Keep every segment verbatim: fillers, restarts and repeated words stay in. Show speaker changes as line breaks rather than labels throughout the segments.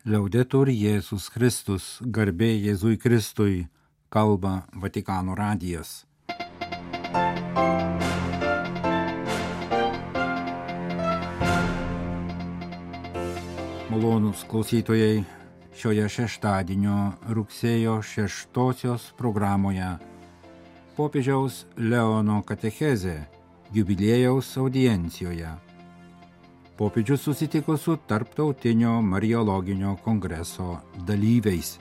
Liaudetur Jėzus Kristus, garbė Jėzui Kristui, kalba Vatikano radijas. Malonūs klausytojai, šioje šeštadienio rugsėjo šeštosios programoje popiežiaus Leono katechezė jubiliejaus audiencijoje. Popiežius susitiko su Tarptautinio Mariologinio kongreso dalyviais.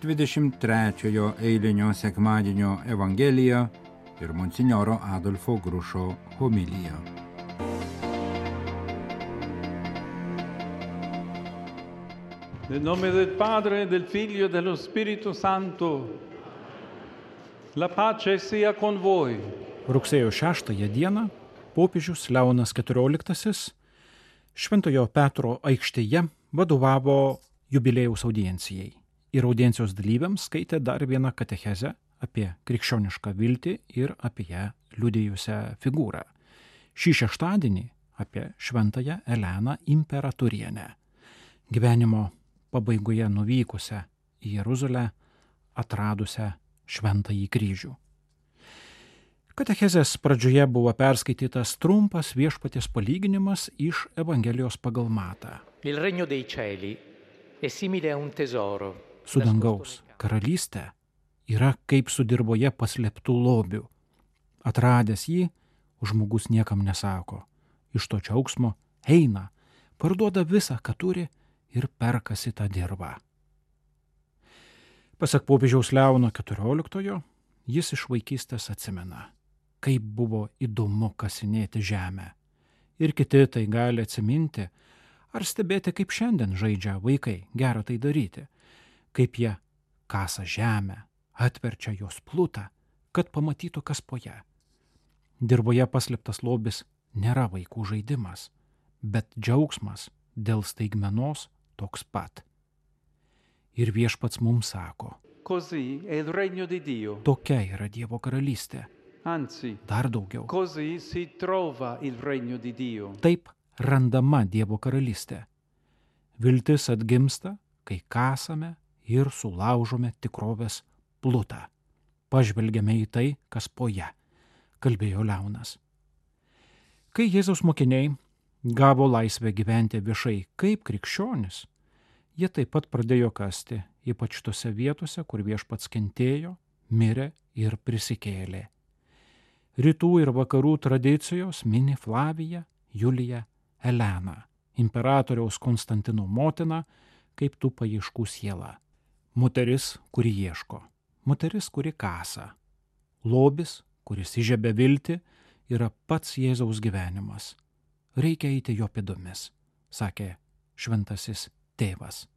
dvidešimt trečiojo eilinio sekmadienio evangelija ir monsinjoro Adolfo Grušo homilija.
Nel nome del Padre, del Figlio e dello Spirito Santo, la pace sia con voi.
Rugsėjo šeštąją dieną popiežius Leonas keturioliktasis Šventojo Petro aikštėje vadovavo jubiliejaus audiencijai ir audiencijos dalyviams skaitė dar vieną katechezę apie krikščionišką viltį ir apie ją liudijusią figūrą. Šį šeštadienį apie šventąją Eleną Imperatorienę, gyvenimo pabaigoje nuvykusią į Jeruzalę, atradusią šventąjį kryžių. Katechezės pradžioje buvo perskaitytas trumpas viešpaties palyginimas iš Evangelijos pagal Matą.
Il regno dei cieli è simile a un tesoro.
Su dangaus karalystė yra kaip su dirvoje paslėptų lobių. Atradęs jį, žmogus niekam nesako. Iš to džiaugsmo eina, parduoda visą, ką turi ir perkasi tą dirvą. Pasak popiežiaus Leono keturioliktojo, jis iš vaikystės atsimena, kaip buvo įdomu kasinėti žemę. Ir kiti tai gali atsiminti ar stebėti, kaip šiandien žaidžia vaikai gera tai daryti, kaip jie kasa žemę, atverčia jos plutą, kad pamatytų, kas po ją. Dirvoje paslėptas lobis nėra vaikų žaidimas, bet džiaugsmas dėl staigmenos toks pat. Ir viešpats mums sako,
Così è il regno di Dio.
Tokia yra Dievo karalystė.
Anzi,
Dar daugiau.
così si trova il regno di Dio.
Taip randama Dievo karalystė. Viltis atgimsta, kai kasame ir sulaužome tikrovės plutą. Pažvelgiame į tai, kas po ją, kalbėjo Leonas. Kai Jėzaus mokiniai gavo laisvę gyventi viešai kaip krikščionis, jie taip pat pradėjo kasti, ypač tose vietose, kur viešpats kentėjo, mirė ir prisikėlė. Rytų ir vakarų tradicijos mini Flaviją, Juliją, Eleną, imperatoriaus Konstantino motiną, kaip tų paieškų siela. Moteris, kuri ieško, moteris, kuri kasa. Lobis, kuris įžiebia viltį, yra pats Jėzaus gyvenimas. Reikia eiti jo pėdomis, sakė šventasis tėvas.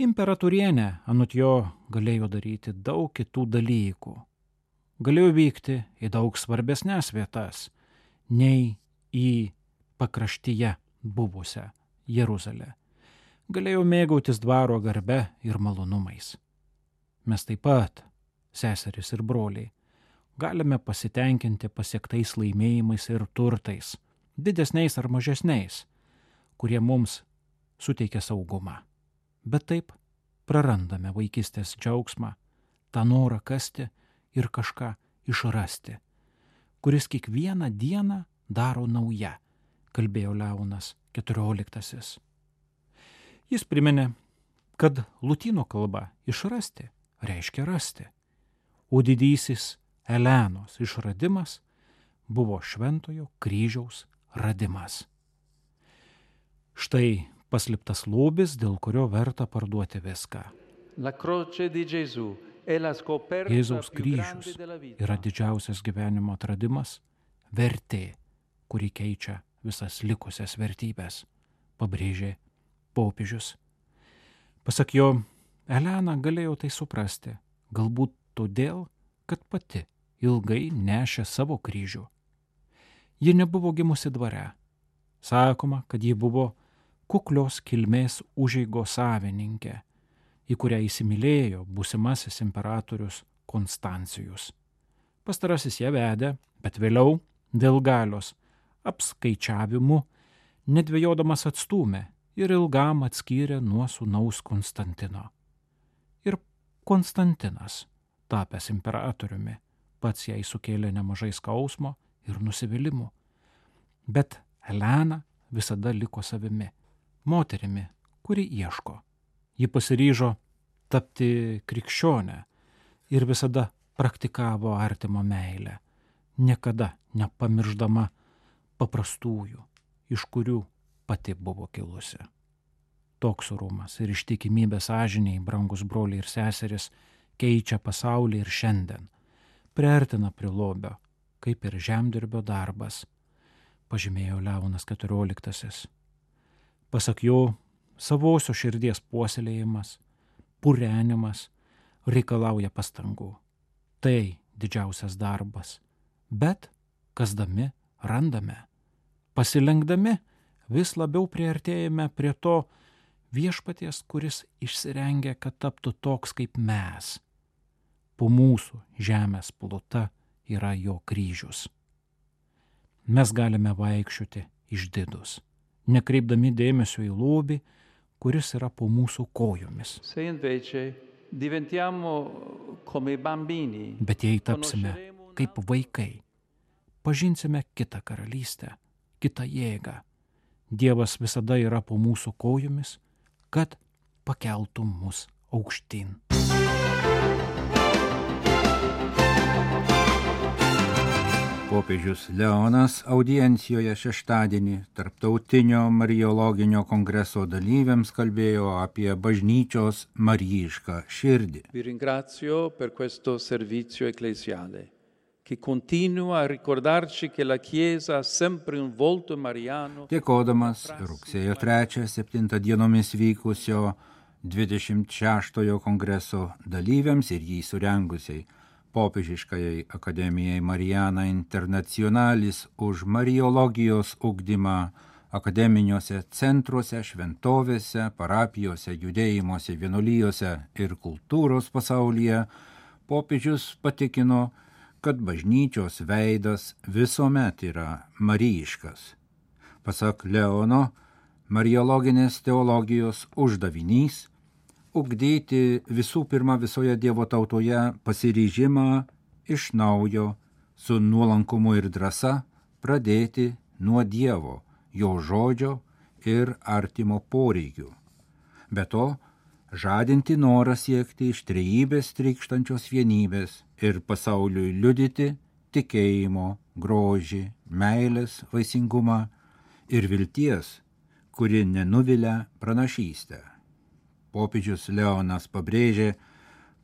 Imperatorienė anot jo galėjo daryti daug kitų dalykų. Galėjo vykti į daug svarbesnės vietas, nei į pakraštyje buvusią Jeruzalę. Galėjo mėgautis dvaro garbe ir malonumais. Mes taip pat, seserys ir broliai, galime pasitenkinti pasiektais laimėjimais ir turtais, didesniais ar mažesniais, kurie mums suteikia saugumą. Bet taip prarandame vaikystės džiaugsmą, tą norą kasti ir kažką išrasti, kuris kiekvieną dieną daro nauja, kalbėjo Leonas keturioliktasis. Jis priminė, kad lotynų kalba išrasti reiškia rasti, o didysis Elenos išradimas buvo šventojo kryžiaus radimas. Štai paslėptas lobis, dėl kurio verta parduoti viską.
La croce di Gesù è la scoperta
Jėzaus
più grande
kryžius
della vita.
yra didžiausias gyvenimo atradimas, vertė, kuri keičia visas likusias vertybės, pabrėžė popiežius. Pasak jo, Elena galėjo tai suprasti, galbūt todėl, kad pati ilgai nešė savo kryžių. Ji nebuvo gimusi dvare. Sakoma, kad ji buvo kuklios kilmės užeigos savininkė, į kurią įsimylėjo būsimasis imperatorius Konstancijus. Pastarasis ją vedė, bet vėliau dėl galios apskaičiavimų nedvejodamas atstūmė ir ilgam atskyrė nuo sūnaus Konstantino. Ir Konstantinas, tapęs imperatoriumi, pats jai sukėlė nemažai skausmo ir nusivylimų. Bet Elena visada liko savimi, moterimi, kuri ieško. Ji pasiryžo tapti krikščionę ir visada praktikavo artimo meilę, niekada nepamirždama paprastųjų, iš kurių pati buvo kilusi. Toks orumas ir ištikimybė sąžiniai, brangus broliai ir seseris, keičia pasaulį ir šiandien, priartina prie lobio, kaip ir žemdirbio darbas, pažymėjo Leonas keturioliktasis. Pasak jo, savosios širdies puoselėjimas, purenimas reikalauja pastangų. Tai didžiausias darbas, bet kasdami randame. Pasilenkdami vis labiau priartėjame prie to viešpaties, kuris išsirengia, kad taptų toks kaip mes. Po mūsų žemės pluta yra jo kryžius. Mes galime vaikščioti išdidus, nekreipdami dėmesio į lobį, kuris yra po mūsų kojomis.
Se invece diventiamo come bambini,
Bet jei tapsime kaip vaikai, pažinsime kitą karalystę, kitą jėgą. Dievas visada yra po mūsų kojomis, kad pakeltų mus aukštyn.
Popiežius Leonas audiencijoje šeštadienį Tarptautinio Mariologinio kongreso dalyviams kalbėjo apie bažnyčios marijišką širdį.
vi ringrazio per questo servizio ecclesiale, che continua a ricordarci che la Chiesa ha sempre un volto mariano.
Dėkodamas rugsėjo trečią septintą dienomis vykusio dvidešimt šeštojo kongreso dalyviams ir jį surengusiai Popiežiškajai akademijai Mariana Internationalis už mariologijos ugdymą akademiniuose centruose, šventovėse, parapijose, judėjimuose, vienuolijose ir kultūros pasaulyje, popiežius patikino, kad bažnyčios veidas visuomet yra marijiškas. Pasak Leono, mariologinės teologijos uždavinys ugdyti visų pirma visoje Dievo tautoje pasiryžimą iš naujo su nuolankumu ir drąsa pradėti nuo Dievo, jo žodžio ir artimo poreikių. Be to, žadinti norą siekti iš trejybės trykštančios vienybės ir pasauliui liudyti tikėjimo, grožį, meilės vaisingumą ir vilties, kuri nenuvilia pranašystę. Popiežius Leonas pabrėžė,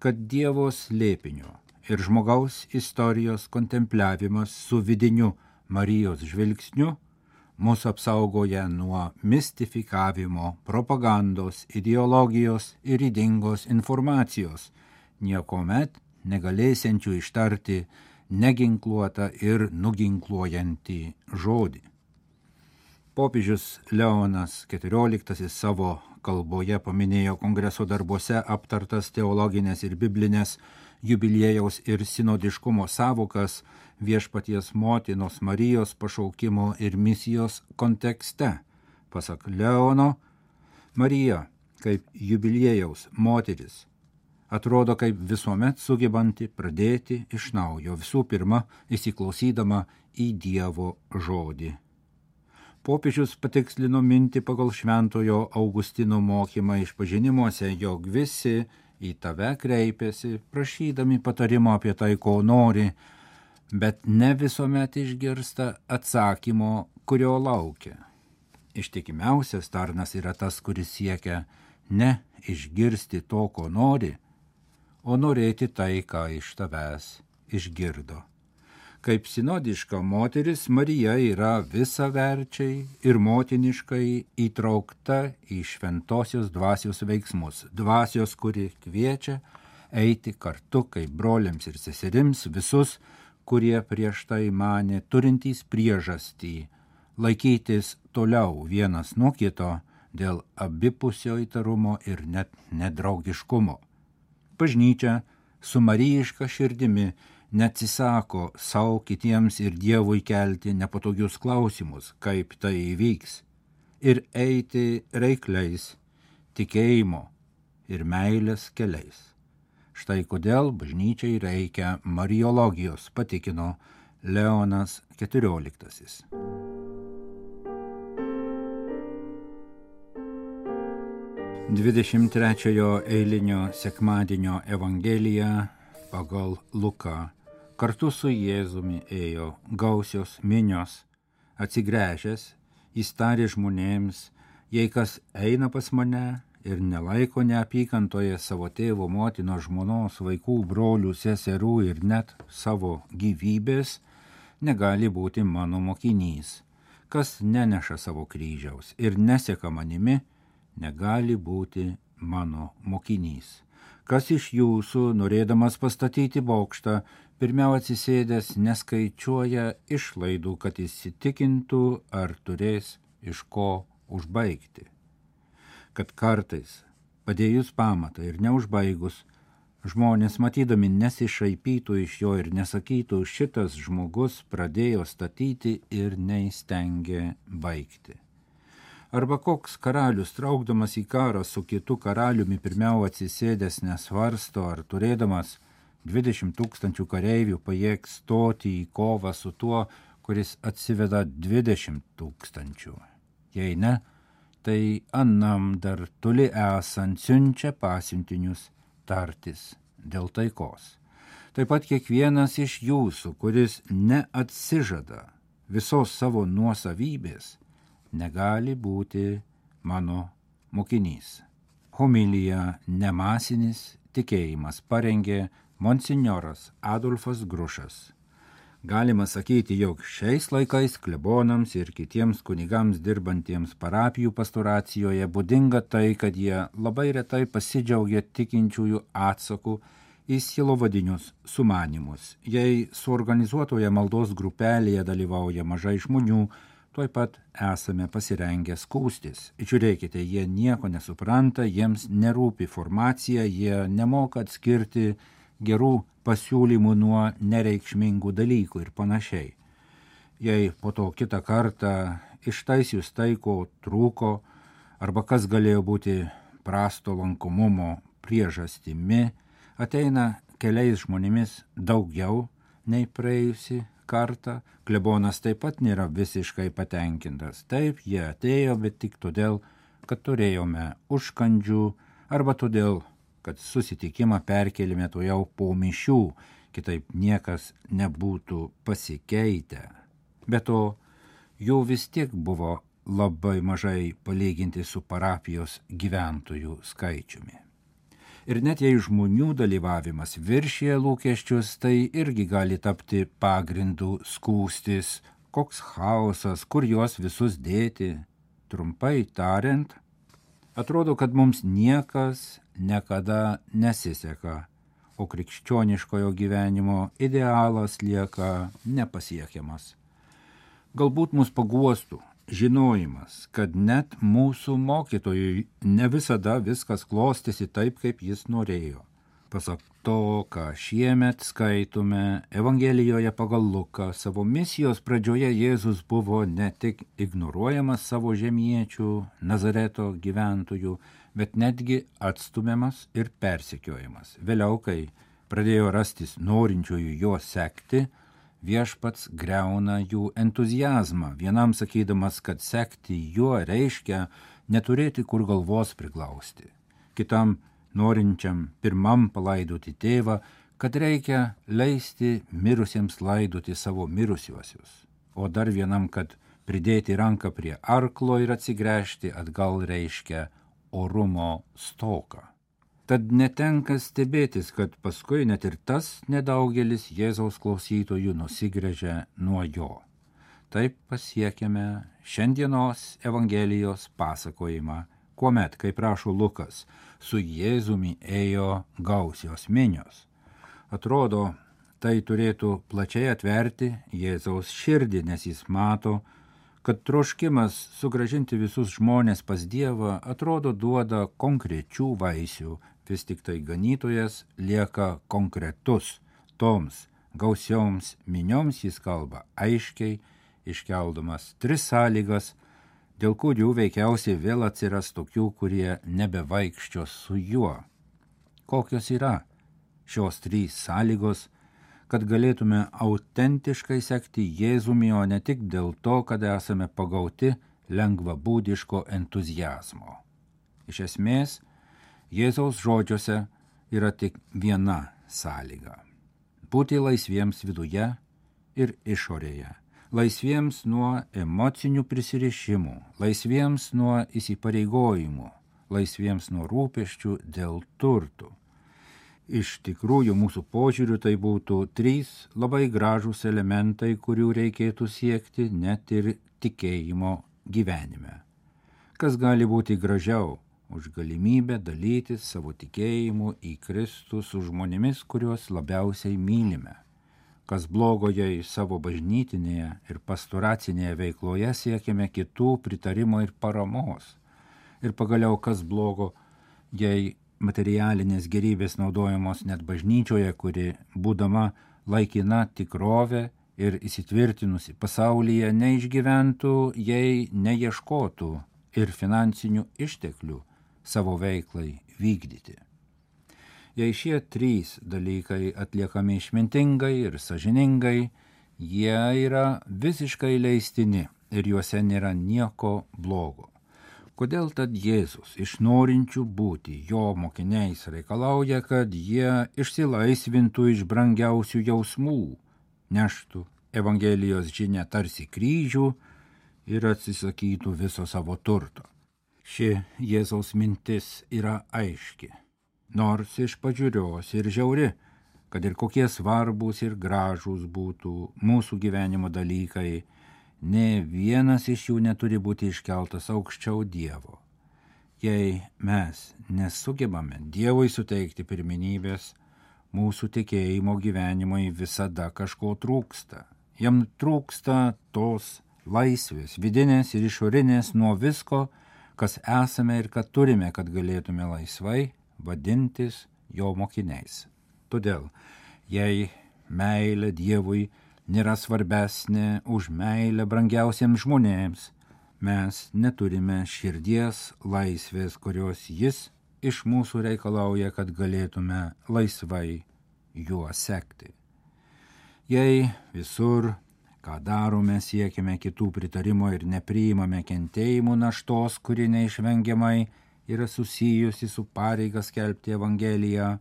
kad Dievo slėpinio ir žmogaus istorijos kontempliavimas su vidiniu Marijos žvilgsniu mus apsaugoja nuo mistifikavimo, propagandos, ideologijos ir ydingos informacijos, niekuomet negalėsiančių ištarti neginkluotą ir nuginkluojantį žodį. Popiežius Leonas keturioliktasis savo kalboje paminėjo kongreso darbuose aptartas teologinės ir biblinės jubiliejaus ir sinodiškumo savokas viešpaties motinos Marijos pašaukimo ir misijos kontekste. Pasak Leono, Marija kaip jubiliejaus moteris atrodo kaip visuomet sugebanti pradėti iš naujo, visų pirma įsiklausydama į Dievo žodį. Popiežius patikslino mintį pagal šventojo Augustino mokymą išpažinimuose, jog visi į tave kreipiasi, prašydami patarimo apie tai, ko nori, bet ne visuomet išgirsta atsakymo, kurio laukia. Ištikimiausias tarnas yra tas, kuris siekia ne išgirsti to, ko nori, o norėti tai, ką iš tavęs išgirdo. Kaip sinodiška moteris, Marija yra visaverčiai ir motiniškai įtraukta į šventosios dvasios veiksmus. Dvasios, kuri kviečia eiti kartu kaip broliams ir seserims visus, kurie prieš tai manė turintys priežastį laikytis toliau vienas nuo kito dėl abipusio įtarumo ir net nedraugiškumo. Bažnyčia su marijiška širdimi neatsisako savo kitiems ir Dievui kelti nepatogius klausimus, kaip tai įvyks, ir eiti reikliais tikėjimo ir meilės keliais. Štai kodėl bažnyčiai reikia mariologijos, patikino Leonas keturioliktasis. dvidešimt trečiojo eilinio sekmadienio Evangelija pagal Luką. Kartu su Jėzumi ėjo gausios minios. Atsigręžęs, jis tarė žmonėms, jei kas eina pas mane ir nelaiko neapykantoje savo tėvo, motinos, žmonos, vaikų, brolių, seserų ir net savo gyvybės, negali būti mano mokinys. Kas neneša savo kryžiaus ir neseka manimi, negali būti mano mokinys. Kas iš jūsų, norėdamas pastatyti bokštą, pirmiau atsisėdęs neskaičiuoja išlaidų, kad įsitikintų, ar turės iš ko užbaigti. Kad kartais, padėjus pamatą ir neužbaigus, žmonės matydami nesišaipytų iš jo ir nesakytų, šitas žmogus pradėjo statyti ir neįstengė baigti. Arba koks karalius, traukdamas į karą su kitu karaliumi, pirmiau atsisėdęs nesvarsto, ar turėdamas dvidešimt tūkstančių kareivių pajėgs stoti į kovą su tuo, kuris atsiveda dvidešimt tūkstančių. Jei ne, tai annam dar toli esant siunčia pasiuntinius tartis dėl taikos. Taip pat kiekvienas iš jūsų, kuris neatsižada visos savo nuosavybės, negali būti mano mokinys. Homilija Nemasinis tikėjimas parengė monsinjoras Adolfas Grušas. Galima sakyti, jog šiais laikais klebonams ir kitiems kunigams dirbantiems parapijų pastoracijoje būdinga tai, kad jie labai retai pasidžiaugia tikinčiųjų atsaku į sielovadinius sumanymus. Jei suorganizuotoje maldos grupelėje dalyvauja mažai žmonių, tuoj pat esame pasirengę skųstis. Žiūrėkite, jie nieko nesupranta, jiems nerūpi formacija, jie nemoka atskirti gerų pasiūlymų nuo nereikšmingų dalykų ir panašiai. Jei po to kitą kartą ištaisius tai, ko trūko, arba kas galėjo būti prasto lankomumo priežastimi, ateina keliais žmonėmis daugiau nei praėjusi kartą, klebonas taip pat nėra visiškai patenkintas. Taip, jie atėjo, bet tik todėl, kad turėjome užkandžių, arba todėl, kad susitikimą perkelime to jau po mišių, kitaip niekas nebūtų pasikeitę. Be to, jų vis tiek buvo labai mažai palyginti su parapijos gyventojų skaičiumi. Ir net jei žmonių dalyvavimas viršyje lūkesčius, tai irgi gali tapti pagrindų skųstis, koks chaosas, kur juos visus dėti. Trumpai tariant, atrodo, kad mums niekas niekada nesiseka, o krikščioniškojo gyvenimo idealas lieka nepasiekiamas. Galbūt mus paguostų žinojimas, kad net mūsų mokytojui ne visada viskas klostėsi taip, kaip jis norėjo. Pasak to, ką šiemet skaitome Evangelijoje pagal Luką, savo misijos pradžioje Jėzus buvo ne tik ignoruojamas savo žemiečių, Nazareto gyventojų, bet netgi atstumiamas ir persekiojamas. Vėliau, kai pradėjo rastis norinčiųjų jo sekti, viešpats griauna jų entuziazmą, vienam sakydamas, kad sekti juo reiškia neturėti kur galvos priglausti, kitam norinčiam pirmam palaidoti tėvą, kad reikia leisti mirusiems laidoti savo mirusiuosius, o dar vienam, kad pridėti ranką prie arklo ir atsigręžti atgal reiškia orumo stoką. Tad netenka stebėtis, kad paskui net ir tas nedaugelis Jėzaus klausytojų nusigręžia nuo jo. Taip pasiekėme šiandienos Evangelijos pasakojimą, kuomet, kaip rašo Lukas, su Jėzumi ėjo gausios minios. Atrodo, tai turėtų plačiai atverti Jėzaus širdį, nes jis mato, kad troškimas sugrąžinti visus žmonės pas Dievą atrodo duoda konkrečių vaisių, vis tik tai ganytojas lieka konkretus. Toms gausioms minioms jis kalba aiškiai, iškeldamas tris sąlygas, dėl kurių veikiausiai vėl atsiras tokių, kurie nebevaikščios su juo. Kokios yra šios trys sąlygos, kad galėtume autentiškai sekti Jėzumi, o ne tik dėl to, kad esame pagauti lengvabūdiško entuzijazmo. Iš esmės, Jėzaus žodžiuose yra tik viena sąlyga – būti laisviems viduje ir išorėje, laisviems nuo emocinių prisirišimų, laisviems nuo įsipareigojimų, laisviems nuo rūpesčių dėl turtų. Iš tikrųjų, mūsų požiūriu tai būtų trys labai gražūs elementai, kurių reikėtų siekti net ir tikėjimo gyvenime. Kas gali būti gražiau už galimybę dalytis savo tikėjimu į Kristų su žmonėmis, kuriuos labiausiai mylime? Kas blogo, jei savo bažnytinėje ir pastoracinėje veikloje siekiame kitų pritarimo ir paramos? Ir pagaliau, kas blogo, jei materialinės gerybės naudojamos net bažnyčioje, kuri, būdama laikina tikrovė ir įsitvirtinusi pasaulyje, neišgyventų, jei neieškotų ir finansinių išteklių savo veiklai vykdyti. Jei šie trys dalykai atliekami išmintingai ir sąžiningai, jie yra visiškai leistini ir juose nėra nieko blogo. Kodėl tad Jėzus iš norinčių būti jo mokiniais reikalauja, kad jie išsilaisvintų iš brangiausių jausmų, neštų Evangelijos žinią tarsi kryžių ir atsisakytų viso savo turto? Ši Jėzaus mintis yra aiški, nors iš pažiūrios ir žiauri, kad ir kokie svarbūs ir gražūs būtų mūsų gyvenimo dalykai, nė vienas iš jų neturi būti iškeltas aukščiau Dievo. Jei mes nesugebame Dievui suteikti pirmenybės, mūsų tikėjimo gyvenimui visada kažko trūksta. Jam trūksta tos laisvės, vidinės ir išorinės nuo visko, kas esame ir kad turime, kad galėtume laisvai vadintis jo mokiniais. Todėl, jei meilė Dievui nėra svarbesnė už meilę brangiausiems žmonėms, mes neturime širdies laisvės, kurios jis iš mūsų reikalauja, kad galėtume laisvai juo sekti. Jei visur, ką darome, siekime kitų pritarimo ir nepriimame kentėjimų naštos, kuri neišvengiamai yra susijusi su pareiga skelbti Evangeliją,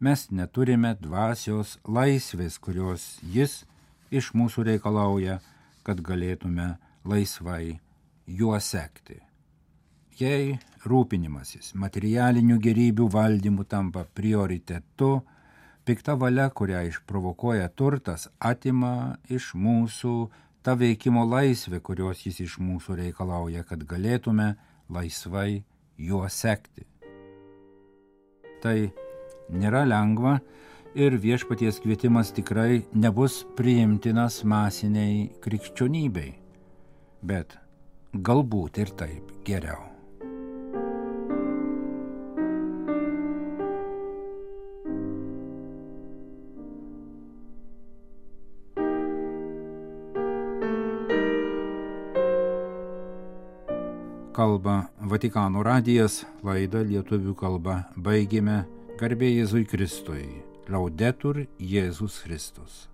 mes neturime dvasios laisvės, kurios jis iš mūsų reikalauja, kad galėtume laisvai juo sekti. Jei rūpinimasis materialinių gerybių valdymu tampa prioritetu, pikta valia, kurią išprovokuoja turtas, atima iš mūsų tą veikimo laisvę, kurios jis iš mūsų reikalauja, kad galėtume laisvai juo sekti. Tai nėra lengva ir viešpaties kvietimas tikrai nebus priimtinas masiniai krikščionybei, bet galbūt ir taip geriau. Kalba Vatikano radijas, laidą lietuvių kalba baigėme. Garbė Jėzui Kristui. Laudetur Jėzus Kristus.